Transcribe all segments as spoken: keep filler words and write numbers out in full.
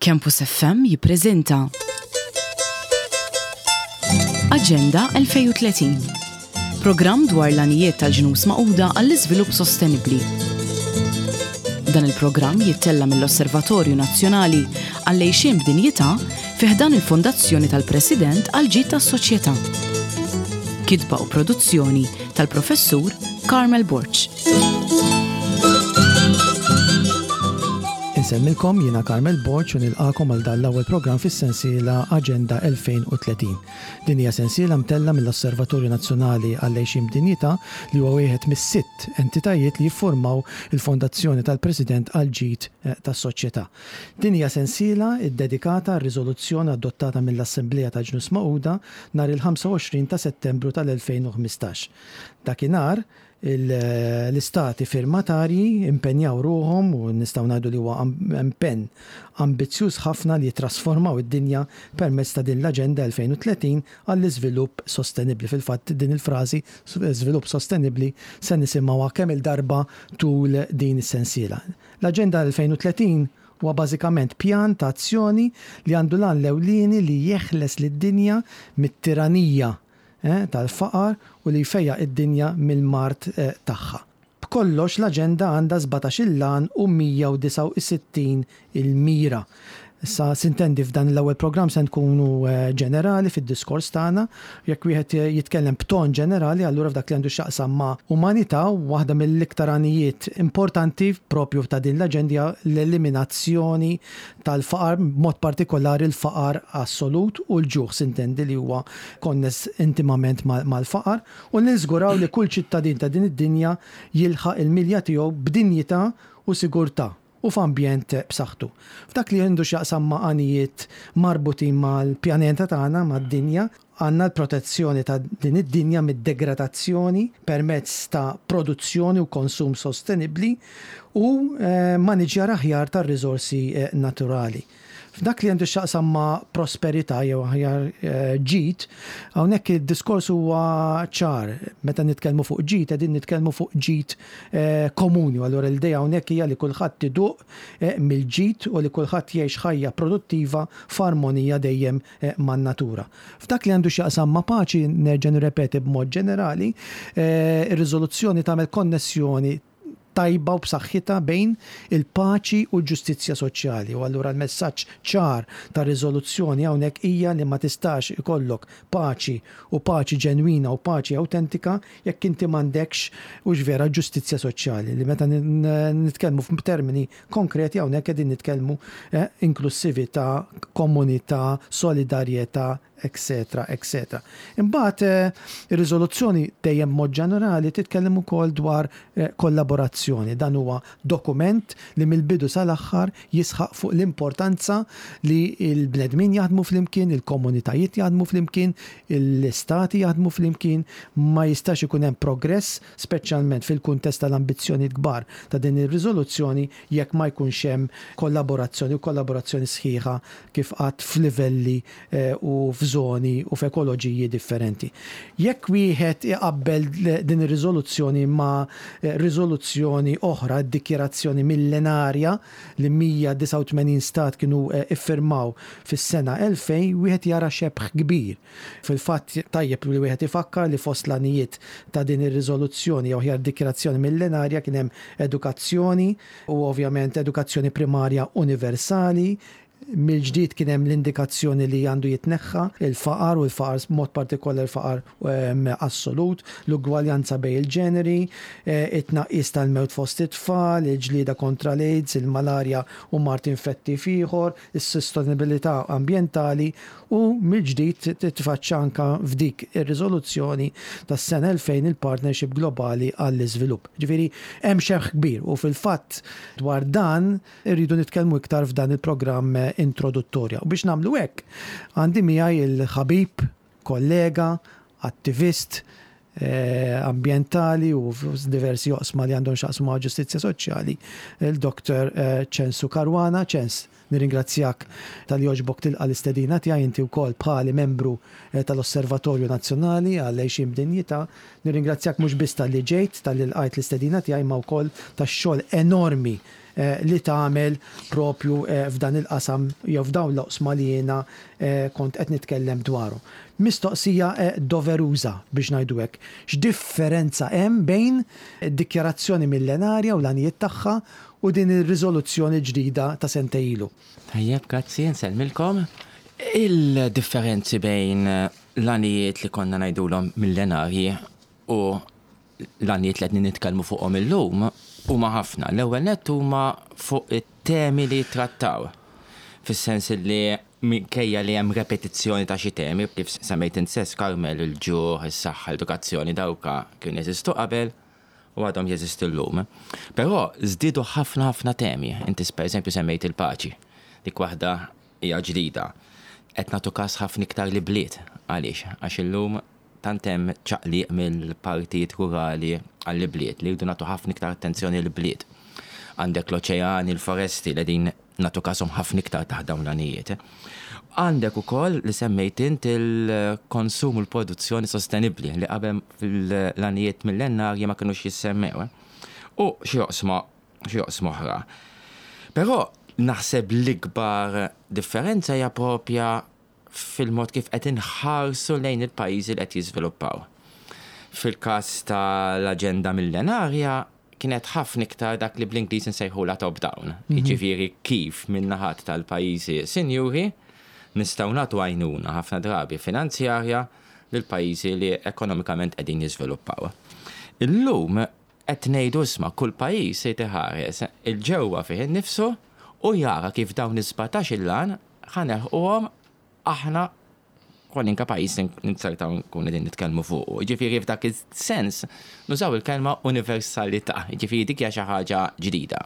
Campus F M jippreżenta Aġenda elfejn u tletin. Programm dwar l-għanijiet tal-Ġnus Magħquda għall-iżvilupp sostenibbli. Dan il-programm jittella mill-Osservatorju Nazzjonali għall-Għixien b'Dinjità fi ħdan il-Fondazzjoni tal-President għall-Ġid tas-Soċjetà. Kitba u produzzjoni tal-Professur Carmel Borg. Insellmilkom, jiena Carmel Borg u nilqagħkom għal dan l-ewwel programm fis-sensiela Aġenda elfejn u tletin. Din hija sensiela mtella mill-Osservatorju Nazzjonali għall-Għixien b'Dinjità, li huwa wieħed mis-sitt entitajiet li jiffurmaw il-Fondazzjoni tal-President għall-Ġid eh, tas-Soċjetà. Din hija sensiela ddedikata għar-riżoluzzjoni adottata mill-Assemblea tal-Ġnus Magħquda nhar il-ħamsa u għoxrin ta' Settembru tal-elfejn u ħmistax. Dakinhar l-istati firmatarji impenjaw ruħhom, u nistgħu ngħidu li huwa impenn ambizzjuż ħafna, li jitrasformaw id-dinja permezz ta' din l-Aġenda elfejn u tletin għall-iżvilupp sostenibbli. Fil-fatt, din il-frażi "żvilupp sostenibbli" se nisimgħuha kemm il-darba tul din is-sensiela. L-Aġenda elfejn u tletin huwa bażikament pjan ta' azzjoni li għandu l-għan l-ewlieni li jeħles lid-dinja mit-tiranija eh, tal-faqar u li jfejjaq id-dinja mill-mard eh, tagħha. B'kollox, l-aġenda għandha sbatax-il għan u mija u disgħa u sittin il-mira. Issa, sintendi, f'dan l-ewwel programm se nkunu eh, ġenerali fid-diskors tagħna. Jekk wieħed jitkellem b'ton ġenerali, allura f'dak li għandu x'jaqsam ma' umanità, waħda mill-iktar għanijiet importanti propju ta' din l-aġenda l-eliminazzjoni tal-faqar, mod partikolari l-faqar assolut u l-ġuħ, sintendi, li huwa konness intimament mal-faqar, u niżguraw li kull ċittadin ta' din id-dinja jilħaq il-milja tiegħu b'dinjità u sigurtà u f'ambjent b'saħħtu. F'dak li għandu x'jaqsam ma' għanijiet marbutin mal-pjaneta tagħna, mad-dinja, għandna l-protezzjoni ta' din id-dinja mid-degradazzjoni permezz ta' produzzjoni u konsum sostenibbli u eh, maniġjar aħjar tar-riżorsi eh, naturali. F'dak li għandu x'jaqsam ma' prosperità jew aħjar eh, ġid, hawnhekk id-diskors huwa ċar. Meta nitkellmu fuq ġid, qegħdin nitkellmu fuq ġid eh, komuni. Allura l-idea hawnhekk hija li kulħadd iduq eh, mill-ġid u li kulħadd jgħix ħajja produttiva f'armonija dejjem man-natura. F'dak li għandu x'jaqsam ma' paċi, nerġa' nirrepeti, b'mod ġenerali, ir-riżoluzzjoni tagħmel konnessjoni tajba u b'saħħitha bejn il-paċi u l-ġustizzja soċjali. U allura l-messaġġ ċar ta' riżoluzzjoni hawnhekk hija li ma tistax ikollok paċi, u paċi ġenwina u paċi autentika, jekk inti m'għandekx u vera ġustizzja soċjali. Li meta nitkellmu f'termini konkreti, hawnhekk qegħdin nitkellmu eh, inklusività, komunità, solidarjetà, eccetera, eccetera. Imbagħad eh, ir-riżoluzzjoni dejjem mod ġenerali titkellem ukoll dwar eh, kollaborazzjoni. Dan huwa dokument li mill-bidu sal-aħħar jisħaq fuq l-importanza li l-bnedmin jaħdmu flimkien, il-komunitajiet jaħdmu flimkien, l-istati jaħdmu flimkien. Ma jistax ikun hemm progress, speċjalment fil-kuntest tal-ambizzjoni kbar ta' din ir-riżoluzzjoni, jekk ma jkunx hemm kollaborazzjoni, u kollaborazzjoni sħiħa, kif qatt, f'livelli eh, u f'żoni u f'ekoloġiji differenti. Jekk wieħed iqabbel din ir-riżoluzzjoni ma' eh, riżoluzzjoni oħra, d-dikjerazzjoni millenarja li mija u disgħa u tmenin stat kienu eh, iffirmaw fis-sena elfejn, wieħed jara xebħ kbir. Fil-fatt, tajjeb li wieħed ifakkar li fost l-għanijiet ta' din ir-riżoluzzjoni jew aħjar dikjerazzjoni millenarja kien hemm edukazzjoni, u ovvjament edukazzjoni primarja universali. Mill-ġdid kien hemm l-indikazzjoni li għandu jitneħħa il-faqar, u l-faqar, mod partikolari il-faqar ehm, assolut, l-ugwaljanza bejn il-ġeneri, eh, it-tnaqqis tal-mewt fost it-tfal, il-ġlieda kontra l-AIDS, il-malarja u mard infettiv ieħor, is-sostenibilità ambjentali, u mill-ġdid titfaċċa anka f'dik ir-riżoluzzjoni tas-sena elfejn il-Partnership Globali għall-Iżvilupp. Ġifieri hemm xebh kbir u fil-fatt dwar dan irridu nitkellmu iktar f'dan il-programm introduttorja. U biex nagħmlu hekk, għandi miegħi il-ħabib, kollega, attivist eh, ambientali u diversi oqsma li għandhom x'jaqsmu ma' ġustizzja soċjali, il-Doktor eh, Ċensu Caruana. Ċens, nirringrazzjak talli għoġbok tilqa' l-istedina tiegħi. Inti wkoll bħali membru eh, tal-Osservatorju Nazzjonali għall-Għixien b'Dinjità. Nirringrazzjak mhux biss talli ġejt, talli lqajt l-istedina tiegħi, ma wkoll tax-xogħol enormi li tagħmel propju f'dan il-qasam jew f'dawn l-oqsma li jiena kont qed nitkellem dwaru. Mistoqsija doveruża biex ngħidu hekk. X'differenza hemm bejn id-dikjarazzjoni millenarja u l-għanijiet tagħha u din ir-riżoluzzjoni ġdida ta' sentejn ilu? Tajjeb, grazzi, nsellmilkom. Il-differenzi bejn l-għanijiet li konna ngħidulhom millenarji u l-għanijiet li qed nitkellmu fuqhom illum huma ħafna. L-ewwel nett huma fuq it-temi li trattaw. Fis-sens li minkejja li hemm repetizzjoni ta' xi temi, kif semmejt int stess Carmel, il-ġuħ, is-saħħa, l-edukazzjoni, dawka kienu jeżistu qabel u għadhom jeżistu llum. Però żdiedu ħafna ħafna temi. Inti per eżempju semmejt il-paċi. Dik waħda hija ġdida. Qed nagħtu każ ħafna iktar li bliet. Għaliex? Għax illum tant hemm ċaqliq mill-partijiet rurali għall-bliet li jridu nagħtu ħafna iktar attenzjoni l-bliet. Għandek l-oċeani, l-foresti li din nagħtu każhom ħafna iktar taħt dawn l-għanijiet. Għandek ukoll li semmejt int il-konsum u l-produzzjoni sostenibbli li qabel fil-għanijiet millenarji ma kinux jissemmew. U xi oqsma xi oqsma oħra. Però naħseb l-ikbar differenza hija propja fil-mod kif qed inħarsu lejn il-pajjiżi li qed jiżviluppaw. Fil-każ tal-aġenda millenarja kienet ħafna iktar dak li bl-Ingliż nsejħula top down. Jiġifieri kif min-naħat tal-pajjiżi sinjuri nistgħu nagħtu għajnuna ħafna drabi finanzjarja lil pajjiżi li ekonomikament qegħdin jiżviluppaw. Illum qed ngħidu isma' kull pajjiż se jħares 'il ġewwa fih innifsu u jara kif dawn is-sbatax il-għan ħa nilħquhom aħna kwalunkwe pajjiż ninsertaw nkun qegħdin nitkellmu fuq. Jiġifieri f'dak is-sens nużaw il-kelma universalità, jiġifieri dik hija xi ħaġa ġdida.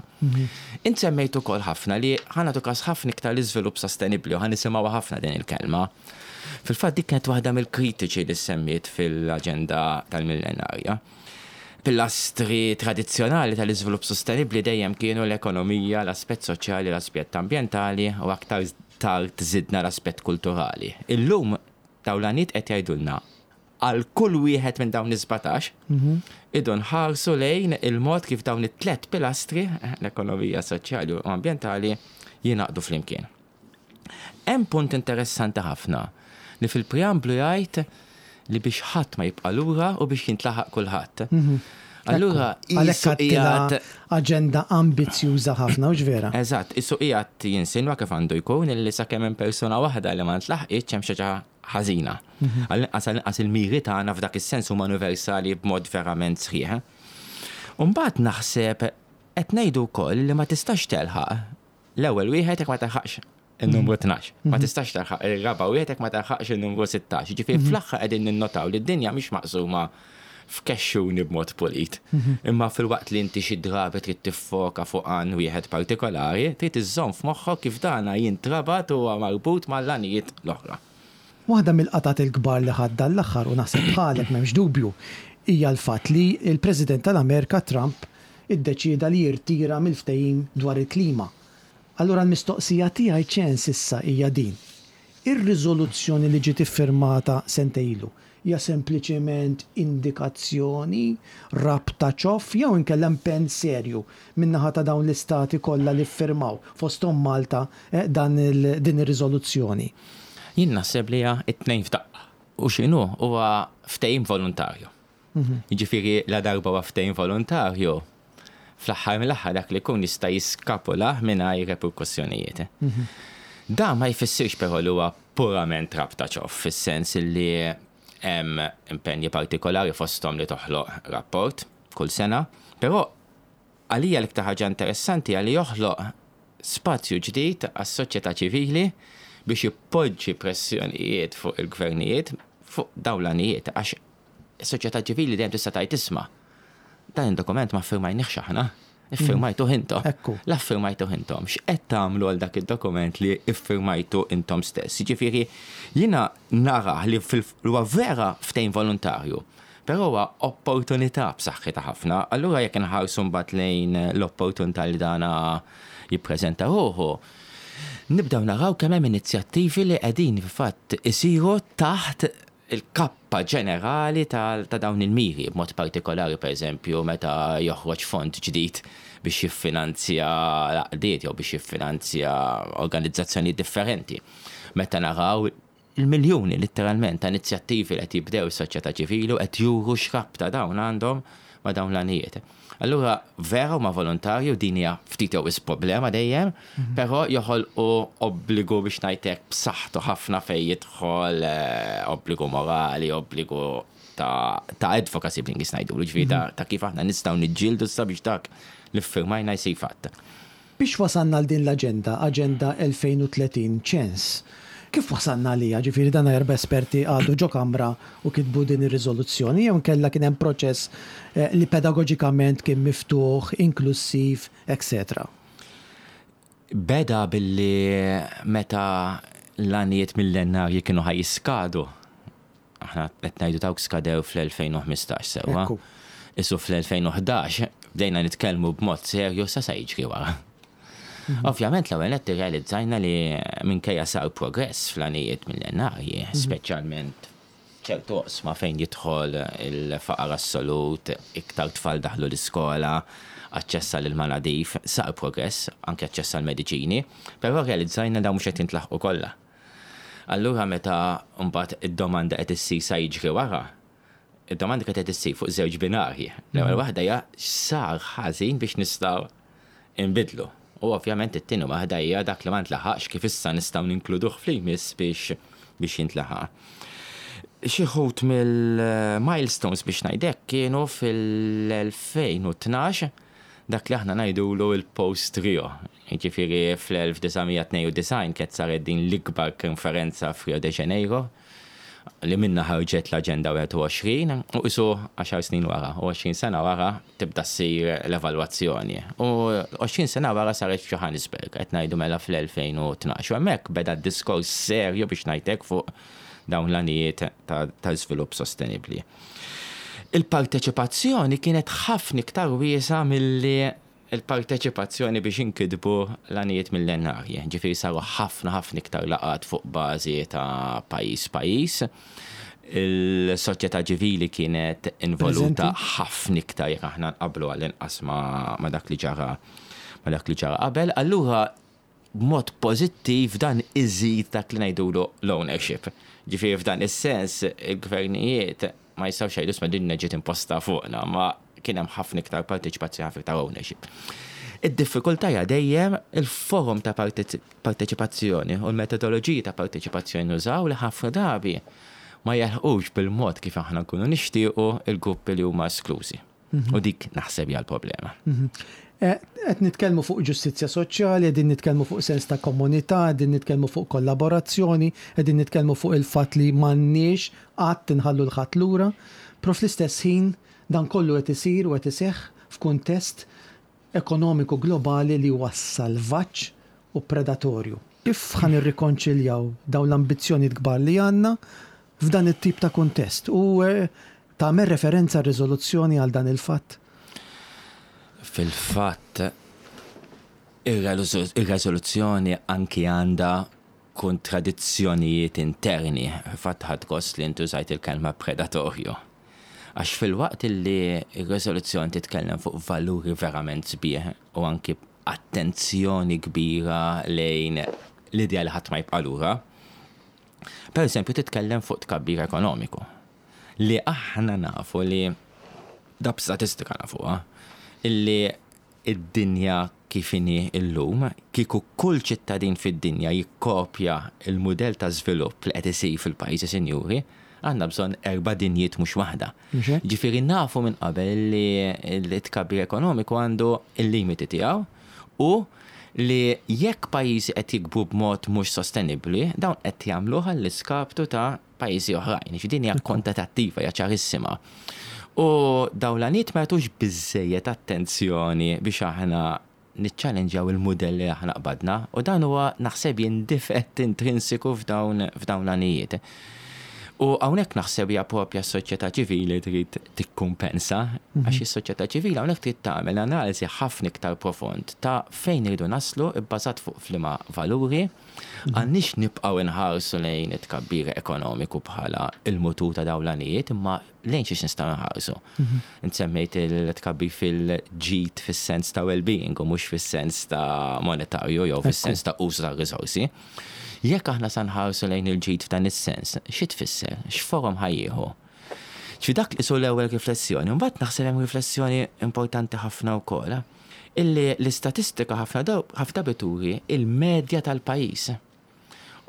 Int semmejt ukoll ħafna li ħa nagħtu każ ħafna iktar l-iżvilupp sostenibbli u ħa nisimgħu ħafna din il-kelma. Fil-fatt dik kienet waħda mill-kritiċi li semmiet fil-aġenda tal-millenarja. Pilastri tradizzjonali tal-iżvilupp sostenibbli dejjem kienu l-ekonomija, l-aspett soċjali, l-aspett ambjentali u aktar tard żidna l-aspett kulturali. Illum dawn l-għanijiet qed jgħidulna għal kull wieħed minn dawn is-sbatax irridu nħarsu lejn il-mod kif dawn it-tlet pilastri, l-ekonomija, soċjali u ambjentali, jingħaqdu flimkien. Hemm punt interessanti ħafna li fil-preamblu jgħid li biex ħadd ma jibqa' lura u biex jintlaħaq kulħadd. Allura Għalhekk għedtilha aġenda ambizzjuża ħafna, u vera? Eżatt, qisu qiegħed jinsinwa kif għandu jkun illi sakemm hemm persuna waħda li ma ntlaħqitx hemm xi ħaġa ħażina. Għall-inqas għall-inqas il-miri tagħna f'dak is-sens huma universali b'mod verament sħiħ. U mbagħad naħseb qed ngħidu wkoll li ma tistax telħaq l-ewwel wieħed jekk ma telħaqx il-numru tnax. Ma tistax telħaq ir-raba' wieħed jekk ma telħaqx il-numru sittax. Ġifieri fl-aħħar qegħdin ninnotaw li d-dinja mhix maqsuma f'kexxuni b'mod pulit. Imma fil-waqt li inti xi drabi trid tiffoka fuq għan wieħed partikolari, trid iżżomm f'moħħok kif dana jintrabat u huwa marbut mal-għanijiet l-oħra. Waħda mill-qatat il-kbar li ħadd l-aħħar u naħseb bħalek m'hemmx dubju hija l-fatt li l-President tal-Amerika Trump iddeċieda li jirtira mill-ftehim dwar il-klima. Allura l-mistoqsija tiegħi ċens issa hija din. Ir-riżoluzzjoni li ġiet iffirmata sentejn ilu hija sempliċement indikazzjoni, rabta ċoff jew inkella impenn serju min-naħa ta' dawn l-istati kollha li ffirmaw fosthom Malta eh, dan il, din ir-riżoluzzjoni. Jien naħseb li hija it-tnejn f'daqqa. U x'inhu huwa ftehim volontarju. Jiġifieri la darba huwa ftehim volontarju, fl-aħħar mill-aħħar dak li jkun jista' jiskapola mingħajr reperkussjonijiet. Dan ma jfissirx però li huwa purament rabta ċoff, fis-sens li hemm impenji partikolari fosthom li toħloq rapport kull sena, però għalija l-iktar ħaġa interessanti għalli joħloq spazju ġdid għas-soċjetà ċivili biex jippoġġi pressjonijiet fuq il-gvernijiet fuq dawn l-għanijiet, għax is-soċjetà ċivili dejjem tista' tgħid isma' dan id-dokument ma ffirmajniex aħna, iffirmajtu intom. Ekku. La ffirmajtu intom. X'qed tagħmlu għal dak id-dokument li iffirmajtu intom stess? Jiġifieri jiena nara li huwa vera ftehim volontarju, però huwa opportunità b'saħħitha ħafna. Allura jekk inħarsu mbagħad lejn l-opportunità li dana jippreżenta ruħu, nibdew naraw kemm hemm inizjattivi li qegħdin fil-fatt isiru taħt il-kappa ġenerali ta' dawn il-miri, b'mod partikolari per eżempju meta joħroġ fond ġdid biex jiffinanzja l-għaqdiet jew biex jiffinanzja organizzazzjoni differenti. Meta naraw il-miljuni letteralment ta' inizjattivi li qed jibdew is-soċjetà ċivili u qed juru x'rabta dawn għandhom ma' dawn l-għanijiet. Allura vera huma volontarju, din hija ftit jew problema dejjem, mhm. però joħolqu obbligu, biex ngħidlek, b'saħħtu ħafna fejn jidħol eh, obbligu morali, obbligu ta', ta advocacy bl-Ingliż ngħidu, ġifieri ta', mhm. ta' kif aħna nistgħu niġġieldu sabiex dak li ffirmajna jsir fatt. Biex wasalna għal din l-aġenda, Aġenda elfejn u tletin, ċens, kif wasalna għaliha? Ġifieri dan erba' esperti qagħdu ġo kamra u kitbu din ir-riżoluzzjoni, jew kella kien hemm proċess eh, li pedagoġikament kien miftuħ, inklusiv, et cetera? Beda billi meta l-għanijiet millenarji kienu ħa jiskadu. Aħna qed ngħidu dawk skadew fl-elfejn u ħmistax, sewwa. Issa fl-elfejn u ħdax bdejna nitkellmu b'mod serju sa sa jiġri wara. Mhm. Ovvjament l-ewwel qed irrealizzajna li minkejja sar progress fl-għanijiet millenarji, mhm. speċjalment ċertu oqsma fejn jidħol il-faqar assolut, iktar tfal daħlu l-iskola, aċċess għall-ilma nadif, sar progress, anke aċċess għall-mediċini, però realizzajna dawn mhux qed jintlaħqu kollha. Allura meta mbagħad id-domanda qed issir sa jiġri wara, id-domanda qed issir fuq żewġ binarji. L-ewwel mhm. waħda hija sar ħażin biex nistgħu inbidlu. U ovvjament it-tieni waħda hija dak li ma ntlaħaqx, kif issa nistgħu ninkluduh fl-jmiss biex biex jintlaħaq. Xi wħud mill-milestones, biex ngħidlek, kienu fil-elfejn u tnax, dak li aħna ngħidulu il-Post Rio. Jiġifieri fl-elf disa' mija tnejn u disgħin kienet saret din l-ikbar konferenza f'Rio de Janeiro li minna ħarġet l-Aġenda wieħed u għoxrin u qisu għaxar snin wara, u għoxrin sena wara tibda ssir l-evalwazzjoni. U għoxrin sena wara saret f'Johannesburg, qed ngħidu mela fl-elfejn u tnax. U hemmhekk beda diskors serju, biex ngħidlek, fuq dawn l-għanijiet ta' żvilupp sostenibbli. Il-parteċipazzjoni kienet ħafna iktar wiesgħa milli il-parteċipazzjoni biex inkitbu l-għanijiet millenarji. Ġifieri saru ħafna ħafna iktar laqgħat fuq bażi ta' pajjiż pajjiż. Il-soċjetà ċivili kienet involuta ħafna iktar jekk aħna nqablu għall-inqas ma' dak li ġara ma' dak li ġara qabel. Allura b'mod pożittiv dan iżid dak li ngħidulu l-ownership. Ġifieri f'dan is-sens il-gvernijiet ma jistgħux jgħidu, "Isma', din ġiet imposta fuqna," ma kien hemm ħafna iktar parteċipazzjoni, ħafna iktar ownership. Id-diffikultà hija dejjem il-forum ta' parteċipazzjoni u l-metodoloġiji ta' parteċipazzjoni nużaw, li ħafna drabi ma jilħqux bil-mod kif aħna nkunu nixtiequ il-gruppi li huma esklużi. Mhm. U dik naħseb hija l-problema. Mhm. Eh, qed nitkellmu fuq ġustizzja soċjali, qegħdin nitkellmu fuq sens ta' komunità, qegħdin nitkellmu fuq kollaborazzjoni, qegħdin nitkellmu fuq il-fatt li m'għandniex qatt inħallu 'l ħadd lura, però fl-istess ħin dan kollu qed isir u qed iseħħ f'kuntest ekonomiku globali li huwa salvaġġ u predatorju. Kif ħa nirrikonċiljaw dawn l-ambizzjoni kbar li għandna f'dan it-tip ta' kuntest? U eh, tagħmel referenza r-riżoluzzjoni għal dan il-fatt? Fil-fatt, ir-riżoluzzjoni anki għandha kontradizzjonijiet interni. Fatt ħadt gost li inti użajt il-kelma predatorju. Għax filwaqt li il-rezoluzzjoni titkellem fuq valuri verament sbieħ u anki attenzjoni kbira lejn l-idea li ħadd ma jibqa' lura, per eżempju titkellem fuq tkabbir ekonomiku. Li aħna nafu li da b'statistika nafuha, illi id-dinja kif inhi illum, kieku kull ċittadin fid-dinja jikkopja il-mudell ta' żvilupp li qed isir fil-pajjiżi sinjuri, għandna bżonn erba' dinjiet, mhux waħda. Ġifieri nafu minn qabel li l-tkabbir ekonomiku għandu il-limiti tiegħu u li jekk pajjiżi qed jikbru b'mod mhux sostenibbli, dawn qed jagħmluh għall-iskaptu ta' pajjiżi oħrajn. Ġifieri din hija kontatattiva, hija ċarissima. U dawn l-għanijiet ma jagħtux biżejjed attenzjoni biex aħna niċċallenġjaw il-modell li aħna qbadna u dan huwa, naħseb jien, difett intrinsiku f'dawn f'dawn l-għanijiet. U hawnhekk naħseb hija propja s-soċjetà ċivili trid tikkumpensa, għax is-soċjetà ċivili hawnhekk trid tagħmel analiżi ħafna iktar profond ta' fejn iridu naslu bbażat fuq liema valuri, għandniex nibqgħu nħarsu lejn it-tkabbir ekonomiku bħala il-mutur ta' dawn l-għanijiet, imma lejn xiex nistgħu nħarsu. Insemmejt il-tkabbir fil-ġid fis-sens ta' well-being u mhux fis-sens ta' monetarju jew fis-sens ta' użu ta' risorsi. Jekk aħna sa nħarsu lejn il-ġid f'dan is-sens, xi tfisser? X'forom ħa jieħu? Ġifieri dak li su l-ewwel riflessjoni, mbagħad naħseb hemm riflessjoni importanti ħafna wkoll, illi l-istatistika ħafna ħafna turi il-medja tal-pajjiż.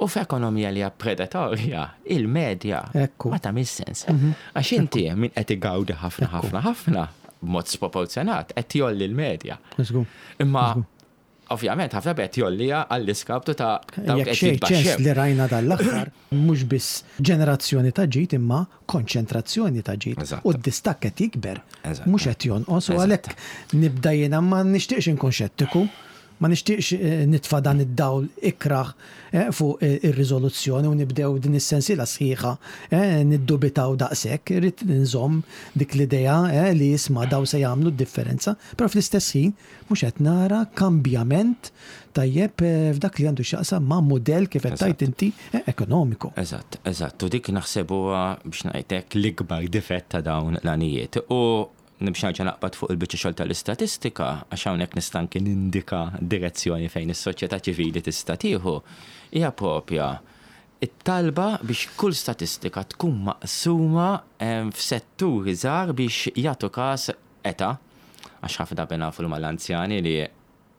U f'ekonomija li hija predatorja, il-medja ma tagħmel sens. Għax inti min qed igawdi ħafna ħafna ħafna b'mod sproporzjonat qed jgħolli l-medja. Imma ovvjament ħafna qed jgħollija għall-iskaptu ta' dawk qed jitbaxxew. Li rajna dal-aħħar mhux biss ġenerazzjoni ta' ġid imma konċentrazzjoni ta' ġid. U d-distakk qed jikber, mhux qed jonqos, u għalhekk nibda jiena ma nixtieqx inkun xettiku, ma nixtieqx nitfa' dan id-dawl ikraħ fuq ir-riżoluzzjoni u nibdew din is-sensiela sħiħa niddubitaw daqshekk, irrid nżomm dik l-idea li jisma' daw se jagħmlu d-differenza, però fl-istess ħin mhux qed nara kambjament tajjeb f'dak li għandu x'jaqsam ma' mudell kif qed tgħid inti ekonomiku. Eżatt, eżatt, u dik naħseb huwa biex ngħidlek l-ikbar difett ta' dawn l-għanijiet. U biex nerġa' naqbad fuq il-biċċa xogħol tal-istatistika, għax hawnhekk nista' anke nindika direzzjoni fejn is-soċjetà ċivili tista' tieħu, hija propja it-talba biex kull statistika tkun maqsuma f'setturi żgħar biex jagħtu każ età, għax ħafna drabi nafu li mal-anzjani li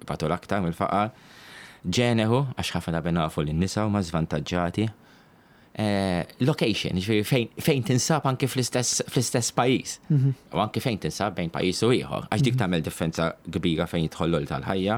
batu l-aktar mill-faqar, ġeneru, għax ħafna drabi nafu li n-nisa huma żvantaġġati, location, ġifieri fejn, fejn tinsab anke fl-istess fl-istess pajjiż. U anke fejn tinsab bejn pajjiż u ieħor, għax dik tagħmel differenza kbira fejn jidħol tal-ħajja.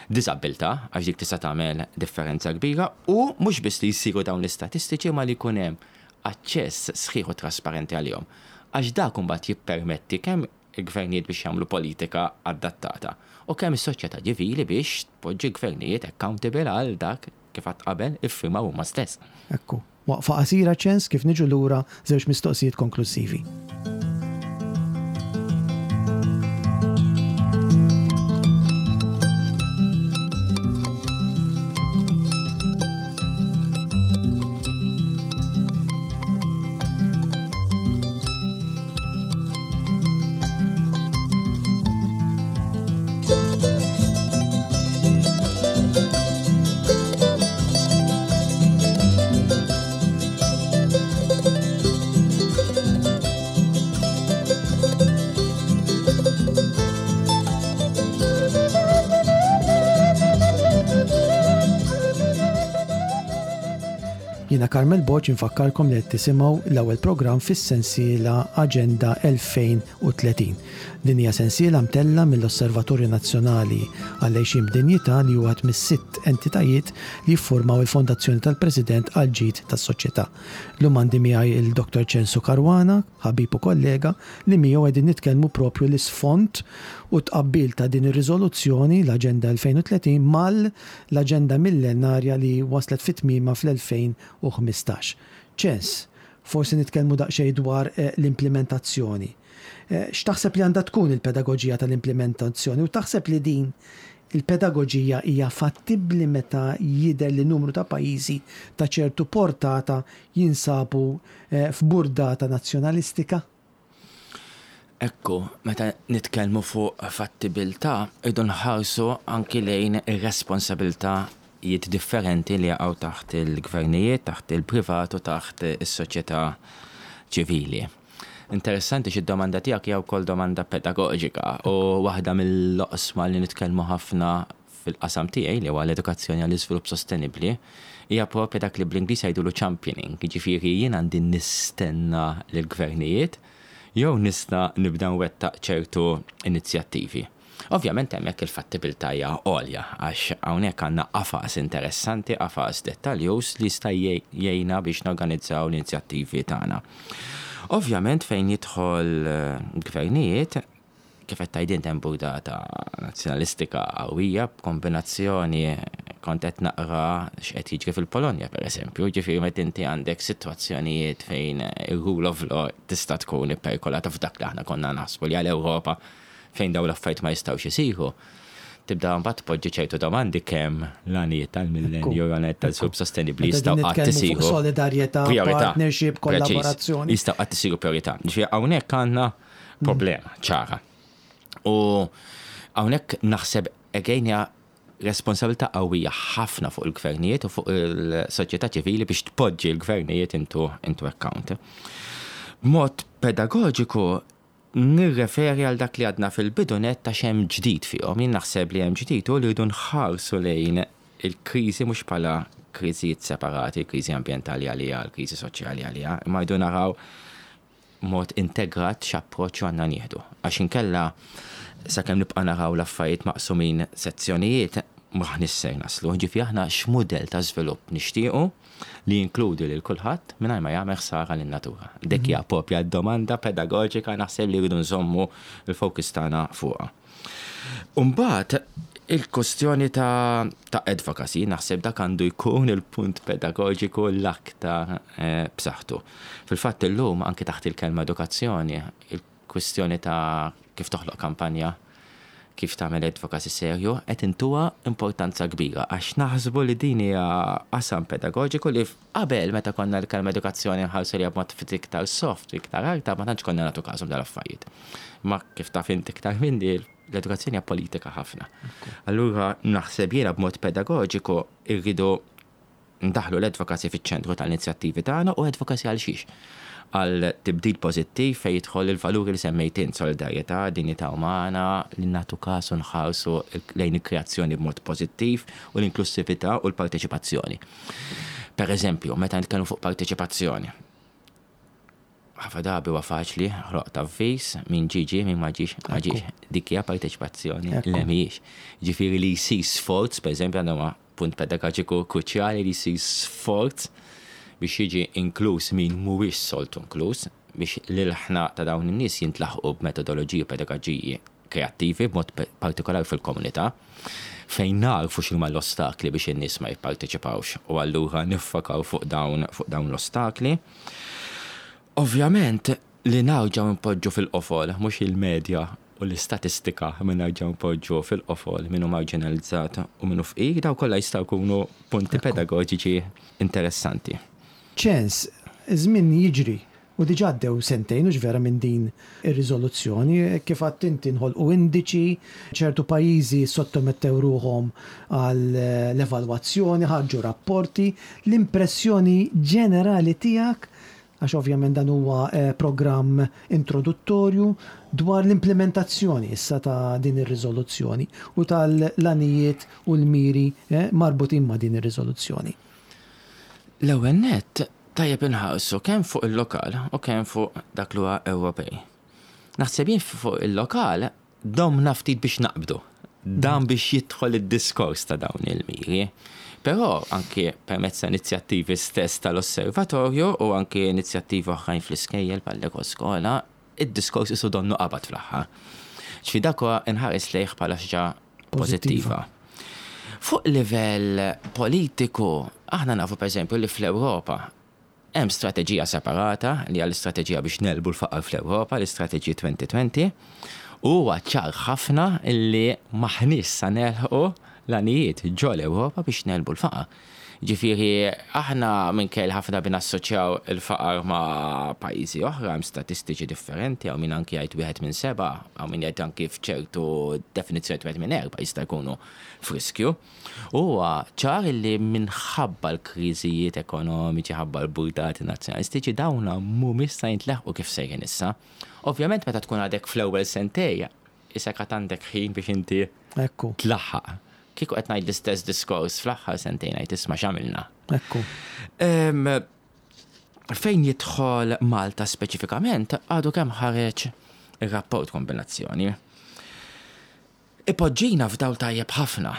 Diżabilità, għax dik tista' tagħmel differenza kbira, u mhux biss li jsiru dawn l-istatistiċi ma li jkun hemm aċċess sħiħ u trasparenti għalihom. Għax dak imbagħad jippermetti kemm il-gvernijiet biex jagħmlu politika adattata u kemm is-soċjetà ċivili biex tpoġġi gvernijiet accountable għal dak kif għad qabel iffirmaw huma stess. Ekku. Waqfa qasira ċens kif niġu lura żewġ mistoqsijiet konklusivi. Jiena Carmel Borg infakkarkom li qed tisimgħu l-ewwel programm fis-sensiela Aġenda elfejn u tletin. Din hija sensiela mtella mill-Osservatorju Nazzjonali għall-Għixien b'Dinjità li huwa wieħed mis-sitt entitajiet li jiffurmaw il-Fondazzjoni tal-President għall-Ġid tas-Soċjetà. Llum għandi miegħi il-Doktor Ċensu Caruana, ħabib u kollega, li miegħu qegħdin nitkellmu propju l-isfond u tqabbil ta' din ir-riżoluzzjoni l-Aġenda elfejn u tletin mal-Aġenda Millenarja li waslet fit-tmiema fl-elfejn u ħmistax. Ċens, forsi nitkellmu daqsxejn dwar l-implementazzjoni. X'taħseb li għandha tkun il-pedagoġija tal-implementazzjoni u taħseb li din il-pedagoġija hija fattibbli meta jidher li numru ta' pajjiżi ta' ċertu portata jinsabu f'burdata nazzjonalistika? Ekku, meta nitkellmu fuq fattibilità, irridu nħarsu anki lejn ir-responsabilitajiet differenti li jaqgħu taħt il-gvernijiet, taħt il-privat u taħt is-soċjetà ċivili. Interessanti xi domanda tiegħek hija wkoll domanda pedagoġika u waħda mill-oqsma li nitkellmu ħafna fil-qasam tiegħi li huwa l-edukazzjoni għall-iżvilupp sostenibbli hija propja dak li bl-Ingliż jgħidulu championing, jiġifieri jien għandi nistenna lill-gvernijiet jew nista' nibda nwettaq ċertu inizjattivi. Ovvjament hemmhekk il-fattibilità hija għolja għax hawnhekk għandna qafas interessanti, qafas dettaljus li jista' jgħinna biex norganizzaw l-inizjattivi tagħna. Ovvjament fejn jidħol gvernijiet, Kif qed tgħid int, hemm burdata nazzjonalistika qawwija b'kombinazzjoni, kont qed naqra x'qed jiġri fil-Polonja, pereżempju, ġifieri meta inti għandek sitwazzjonijiet fejn ir-rule of law tista' tkun ipperikolata f'dak li aħna konna naħsbu li għal-Ewropa fejn dawn l-affarijiet ma jistgħux isiru. Tibda mbagħad tpoġġi ċertu domandi kemm l-għanijiet tal-millenju, l-għanijiet tal-żvilupp sostenibbli jistgħu qatt isiru. Solidarjetà, partnership, kollaborazzjoni. Jistgħu qatt isiru priorità. Ġifieri hawnhekk għandna problema ċara. U hawnhekk naħseb again hija responsabilità qawwija ħafna fuq il-gvernijiet u fuq il-soċjetà ċivili biex tpoġġi l-gvernijiet into, into account. B'mod pedagogiku nirreferi għal dak li għadna fil-bidu nett ta' x'hemm ġdid fihom. Jien naħseb li hemm ġdid u li rridu nħarsu lejn il-kriżi mhux bħala kriżijiet separati, kriżi ambjentali għalija, l-kriżi soċjali għalija, imma rridu naraw mod integrat x'approċċ għandna nieħdu. Għax inkella, sakemm nibqa' naraw l-affarijiet maqsumin sezzjonijiet, m'aħniex ser naslu. Ġifieri aħna x'mudell ta' żvilupp nixtiequ li jinkludi lil kulħadd mingħajr ma jagħmel ħsara lin-natura? Dik hija propja domanda pedagoġika, naħseb li rridu nżommu l-fokus tagħna fuqha. Umbagħad il-kwestjoni ta', ta' advocacy, naħseb dak għandu jkun il-punt pedagogiku l-aktar eh, b'saħħtu. Fil-fatt illum anke taħt il-kelma edukazzjoni, il-kwestjoni ta' kif toħloq kampanja, kif tagħmel advocacy serju, qed intuha importanza kbira għax naħsbu li din hija qasam pedagogiku li qabel, meta konna l-kelma edukazzjoni nħarsu li b'mod ftit iktar soft, iktar artab, ma tantx konna nagħtu każhom dal-affarijiet. Ma kif taf inti iktar minni, l-edukazzjoni hija politika ħafna. Allura naħseb jiena b'mod pedagogiku irridu ndaħlu l-advocacy fiċ-ċentru tal-inizjattivi tagħna. U advocacy għal xiex? Għal tibdil pożittiv fejn jidħol il-valuri li semmejt int, solidarjetà, dinjità umana, li nagħtu kasu, nħarsu lejn il-kreazzjoni b'mod pożittiv u l-inklusività u l-parteċipazzjoni. Per eżempju, meta nitkellmu fuq parteċipazzjoni, ħafna drabi huwa faċli, ħloq avviż, min ġie ġie, min ma ġiex, ma ġiex. Dik hija parteċipazzjoni li mhijiex. Ġifieri li jsir sforz, per eżempju, għandna punt pedagogiku kruċjali li jsir sforz biex jiġi inkluż min mhuwiex soltu inkluż, biex l-ilħna ta' dawn in-nies jintlaħqu b'metodoloġiji u pedagoġiji kreattivi, b'mod partikolari fil-komunità, fejn narfu x'huma l-ostakli biex in-nies ma jipparteċipawx u allura niffokaw fuq dawn fuq dawn l-ostakli. Ovvjament li nerġgħu npoġġu fil-qofol mhux il-medja u l-istatistika, minn nerġgħu npoġġu fil-qofol min hu marginalizzat u min hu fqir, daw kollha jistgħu jkunu punti pedagogiċi interessanti. Ċens, żmien jiġri u diġà għaddew sentejn u vera minn din ir-riżoluzzjoni, kif għedt inti nħolqu indiċi, ċertu pajjiżi sottomettew ruħhom għal l-evalwazzjoni, ħarġu rapporti, l-impressjoni ġenerali tiegħek, għax ovvjament dan huwa eh, programm introduttorju, dwar l-implementazzjoni issa ta' din ir-riżoluzzjoni u tal-għanijiet u l-miri eh, marbutin ma' din ir-riżoluzzjoni. L-ewwel nett tajjeb inħarsu kemm fuq il-lokal u kemm fuq dak li huwa Ewropej. Naħseb jien fuq il-lokal domna ftit biex naqbdu. Dan biex jidħol id-diskors ta' dawn il-miri. Però anke permezz ta' inizjattivi stess tal-osservatorju u anke inizjattivi oħrajn fl-iskejjel bħall-ekoskola, id-diskors isu donnu qabad fl-aħħar. Ġifieri dak huwa inħares lejh bħala xi ħaġa pożittiva. Fuq livell politiku, aħna nafu, per eżempju, li fl-Ewropa hemm strateġija separata li għal istrateġija biex negħlbu l-faqar fl-Ewropa, l-istrateġija elfejn u għoxrin, u huwa ċar ħafna illi m'aħniex sa nilħqu l-għanijiet ġo l-Ewropa biex negħlbu l-faqar. Ġifieri, aħna minkejja ħafna bin assoċjaw il-faqar ma' pajjiżi oħra, hemm statistiċi differenti, hawn min anki jgħid wieħed minn seba', hawn min jgħid anki f'ċertu definizzjoni wieħed minn erba' jista' jkunu f'riskju. Huwa ċar li minħabba l-kriżijiet ekonomiċi, ħabba l-burdati nazzjonalistiċi, dawna mhumiex sa jintleħqu kif sejrin issa. Ovvjament meta tkun għadek fl-ewwel sentej, issa għad għandek ħin biex inti Ekku, tlaħħaq. Kieku qed ngħid l-istess diskors fl-aħħar sentejn, ngħid isma' x'għamilna. ekku. Em, Fejn jidħol Malta speċifikament, għadu kemm ħareġ ir-rapport kombinazzjoni. Ipoġġina f'dawl tajjeb ħafna.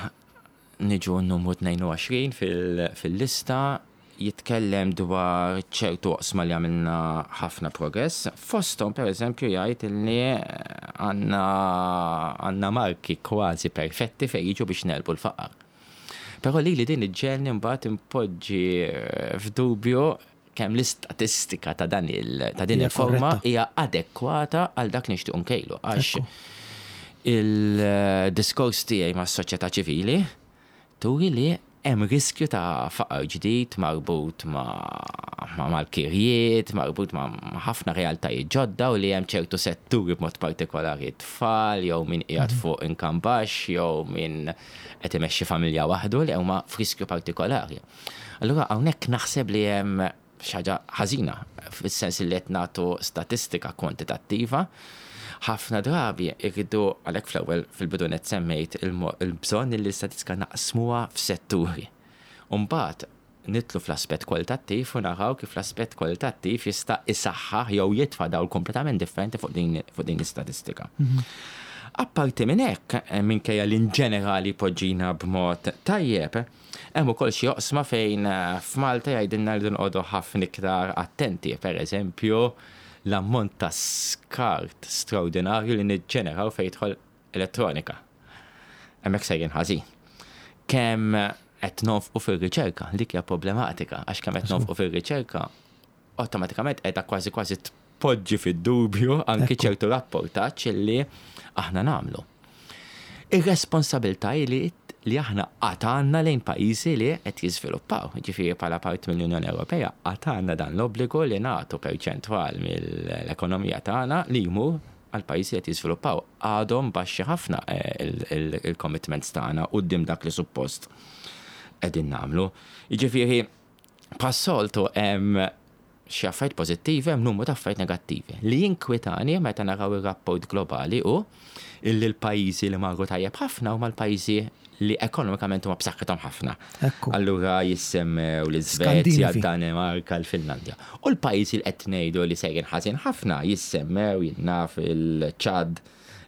Niġu n-numru tnejn u għoxrin fil- fil-lista, Jitkellem dwar ċertu oqsma li għamilna ħafna progress. Fosthom, per eżempju, jgħid li għandna għandna marki kważi perfetti fejn jiġu biex negħlbu l-faqar. Però li li din iġġegħelni mbagħad impoġġi f'dubju kemm l-istatistika ta' dan il ta' din il-forma hija adekwata għal dak li nixtiequ nkejlu, għax il-diskors tiegħi mas-soċjetà ċivili turi li hemm riskju ta' faqar ġdid marbut ma' mal-kirjiet, marbut ma' ħafna realtajiet ġodda u li hemm ċertu setturi, b'mod partikolari tfal, jew min qiegħed mhm. fuq income baxx, jew min qed imexxi familja waħdu, li huma f'riskju partikolari. Allura hawnhekk naħseb li hemm xi ħaġa ħażina fis-sens li qed nagħtu statistika kwantitattiva. Ħafna drabi irridu, għalhekk fl-ewwel fil-bidu net semmejt il-bżonn li l-istatistika naqsmuha f'setturi. Umbagħad nidħlu fl-aspett kwalitattiv u naraw kif l-aspett kwalitattiv jista' isaħħaħ jew jitfa' dawl kompletament differenti fuq din fuq din l-istatistika. Mhm. Apparti minn hekk, eh, minkejja li ġenerali poġġina b'mod tajjeb, hemm ukoll xi oqsma fejn eh, f'Malta jgħidilna li nqogħdu ħafna iktar attenti, per eżempju, l-ammont ta' skart straordinarju li niġġeneraw fejn jidħol elettronika. Hemmhekk sejrin ħażin. Kemm qed nonfqu fir-riċerka, dik hija problematika, għax kemm qed nonfqu fir-riċerka, awtomatikament qiegħda kważi kważi tpoġġi fid-dubju anki ċertu rapportaġġ li aħna nagħmlu. Ir-responsabilità li li aħna għandna lejn pajjiżi li qed jiżviluppaw. Ġifieri bħala parti mill-Unjoni Ewropea għad għandna dan l-obbligu li nagħtu perċentwal mill-ekonomija tagħna li jmur għal pajjiżi li qed jiżviluppaw. Għadhom baxxi ħafna eh, il-commitments tagħna quddiem dak li suppost qegħdin nagħmlu. Jiġifieri bħas-soltu hemm xi affarijiet pożittivi, hemm numru ta' affarijiet negattivi. Li jinkwitani meta naraw ir-rapport globali u illi l-pajjiżi li marru tajjeb ħafna huma l-pajjiżi li ekonomikament huma b'saħħithom ħafna. Allura jissemmew l-Iżvezja, d-Danimarka, l-Finlandja. U l-pajjiżi li qed ngħidu li sejrin ħażin ħafna jissemmew, jien naf, il-Ċad,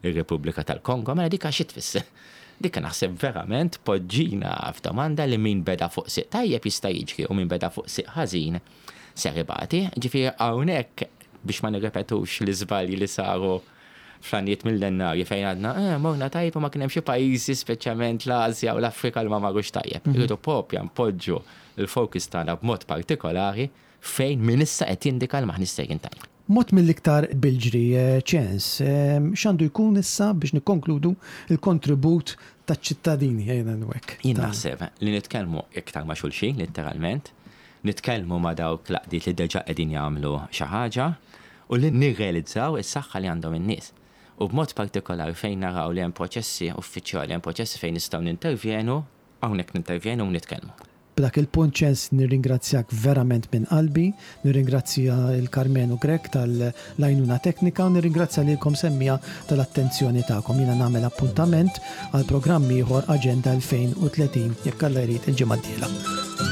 ir-Repubblika tal-Kongo, mela dik xi tfisser? Dik naħseb verament poġġina f'domanda li min beda fuq siq tajjeb jista' jiġri u min beda fuq siq ħażin ser ibati. Ġifieri hawnhekk, biex ma nirrepetux l-iżbalji li saru fl-għanijiet millennarji fejn għadna, eh, morna tajjeb u ma kien hemm xi pajjiżi, speċjalment l-Asja u l-Afrika, li ma marrux tajjeb. Mhm. Irridu propja npoġġu il-fokus tagħna b'mod partikolari fejn min issa qed jindika li m'aħniex sejrin tajjeb. Mod mill-iktar bil-ġri, eh, ċens, eh, x'għandu jkun issa, biex nikkonkludu, il-kontribut taċ-ċittadini ejna nwek? Jien naħseb li nitkellmu iktar ma' xulxin, literalment, nitkellmu ma' dawk l-għaqdiet li deġa qegħdin jagħmlu xi ħaġa u li nirrealizzaw is-saħħa li għandhom in-nies. U b'mod partikolari fejn naraw li hemm proċessi uffiċjali, hemm proċessi fejn nistgħu nintervjenu, hawnhekk nintervjenu u nitkellmu. B'dak il-punt, ċens, nirringrazzjak verament minn qalbi, nirringrazzja il-Karmenu Grek tal-għajnuna teknika u nirringrazzja lilkom semmiegħa tal-attenzjoni tagħkom. Jiena nagħmel appuntament għal programm ieħor Aġenda elfejn u tletin, jekk Alla jrid, il-ġimgħa d-dieħla.